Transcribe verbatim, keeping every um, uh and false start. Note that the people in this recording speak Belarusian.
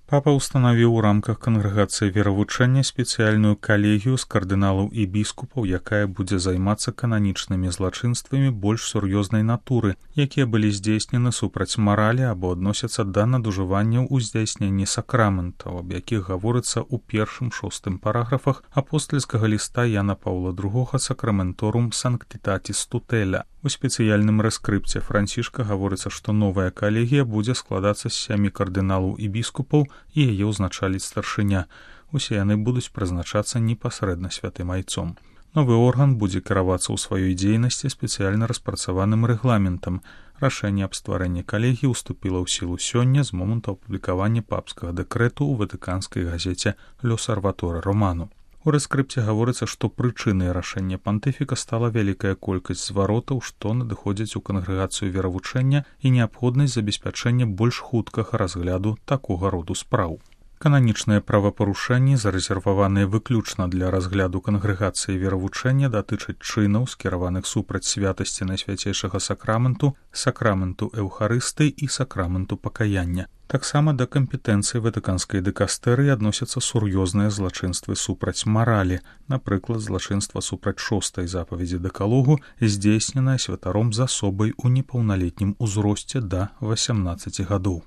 Папа ўстанавіў у рамках кангрэгацыі веравучэння спецыяльную калегію з кардыналаў і біскупаў, якая будзе займацца кананічнымі злачынствамі больш сур'ёзнай натуры, якія былі здзейснены супраць маралі або адносяцца да надужыванняў у здзяйсненні сакраментаў, аб якіх гаворыцца ў першым шостым параграфах апостальскага ліста Яна Паўла другога Сакраменторум Санктитатис Тутэля. У спецыяльным рэскрыпце Францішка гаворыцца, што новая калегія будзе складацца з сямі кардыналаў і біскупаў і яе ўзначаліць старшыня. Усе яны будуць прызначацца непасрэдна святым айцом. Новы орган будзе кіравацца ў сваёй дзейнасці спецыяльна распрацаваным рэгламентам. Рашэнне аб стварэнні калегіі ўступіла ў сілу сёння з моманту апублікавання папскага дэкрэту ў ватыканскай газеце «L'Osservatore Romano». У рэскрыпце гаворыцца, што прычынай рашэння пантыфіка стала вялікая колькасць зваротаў, што надыходзяць у кангрэгацыю веравучэння і неабходнасць забеспячэння больш хуткага разгляду такога роду спраў. Кананічныя правапарушэнні, зарэзерваваныя выключна для разгляду кангрэгацыі веравучэння, датычаць чынаў, скіраваных супраць святасці найсвяцейшага сакраменту, сакраменту эўхарыстыі і сакраменту пакаяння. Таксама да кампетэнцыі ватыканскай дыкастэрыі адносяцца сур'ёзныя злачынствы супраць маралі, напрыклад, злачынства супраць шостай запаведзі дэкалогу, здзейсненае святаром з асобай у непаўналетнім узросце да васямнаццаці гадоў.